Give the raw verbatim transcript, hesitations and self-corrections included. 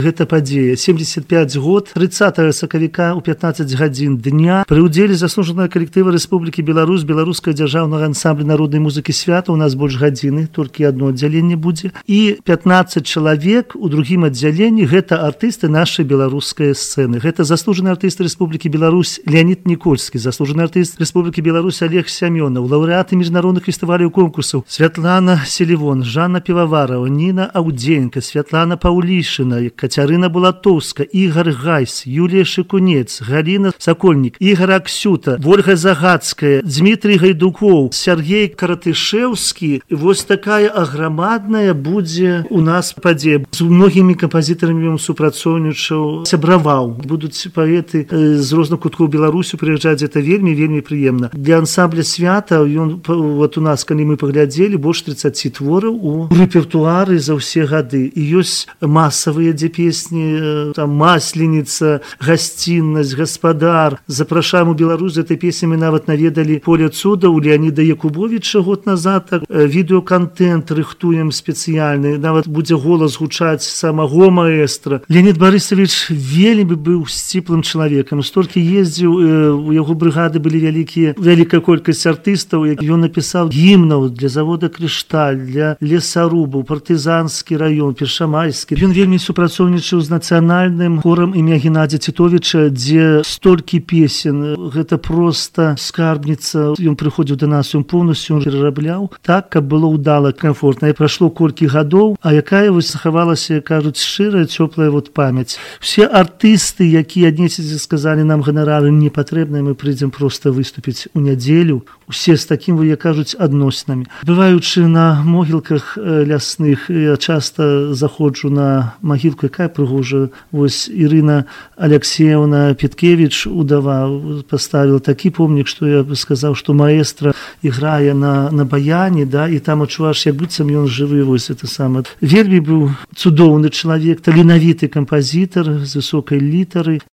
Гэта падзея. семьдесят пять год, тридцатого сакавіка у пятнадцать гадзін дня пры ўдзеле заслужанага калектыва Рэспублікі Беларусь, беларускага дзяржаўнага ансамбля народнай музыкі свята, у нас больш гадзіны, толькі одно аддзяленне будзе, і пятнадцать чалавек у другім аддзяленні, гэта артысты нашай беларускай сцэны. Гэта заслужаны артыст Рэспублікі Беларусь Леонид Никольскі, заслужаны артыст Рэспублікі Беларусь Олег Сямёнаў, лаўрэаты міжнародных фестываляў і конкурсаў Святлана Селівон, Жанна Піваварова, Ніна Аўдзенька, Святлана Паўлішына, Кацярына Булатоўска, Ігор Гайс, Юлія Шыкунец, Галіна Сакольнік, Ігор Аксюта, Вольга Загадская, Дмітрий Гайдукоў, Сергей Каратышэўскі. Вось такая аграмадная будзе у нас падзея. З многімі кампазітарамі ён супрацоўнічаў, сябраваў. Будуць паэты з розных куткоў Беларусі прыязджаць, гэта вельмі вельмі прыемна. Для ансамбля свята ён вот у нас, калі мы паглядзелі, больш тридцать твораў у рэпертуары за ўсе гады. І ёсць масавыя, дзе песні, там Масленіца, Гасціннасць, Гаспадар. Запрашаем у Беларусь, за этой песні мы нават наведалі Поле цуда у Леоніда Якубовіча год назад. Так, відэоконтент рыхтуем спецыяльны, нават будзе голас гучаць самого маэстра. Леонид Барысович вельмі быў сціплым чалавекам, столькі ездзіў, у яго брыгады былі вялікія, вялікая колькасць артыстаў. Ён напісаў гімнаў для завода Крышталь, для лесарубаў, партызанскі раён, першамайскі. Ён вельмі супрацоўнічаў з нацыянальным хорам імя Геннадзя Титовича, дзе столькі песен, гэта проста скарбніца. Ён прыходзіў да нас, ён поўнасцю перарабляў так, каб было ўдала, комфортна. І прайшло колькі гадоў, а якая вось захавалася, кажуць, шчырая, цёплая вот памяць. Все артысты, якія аднесіце сказалі, нам ганарары не патрэбныя, мы прыйдзем проста выступіць у нядзелю, усе з такім, вы, як кажуць, адноснамі. Бываючы на могілках лясных, я часта заходжу на магілку, якая прыгожая. Вось Ірына Алексеевна Петкевич, удава, поставила такі помнік, што я бы сказаў, што маэстра іграе на, на баяне, да, і там адчуваеш, як быццам ён жывы, вось это самае. Вельмі быў цудоўны чалавек, таленавіты кампазітар з высокай літары.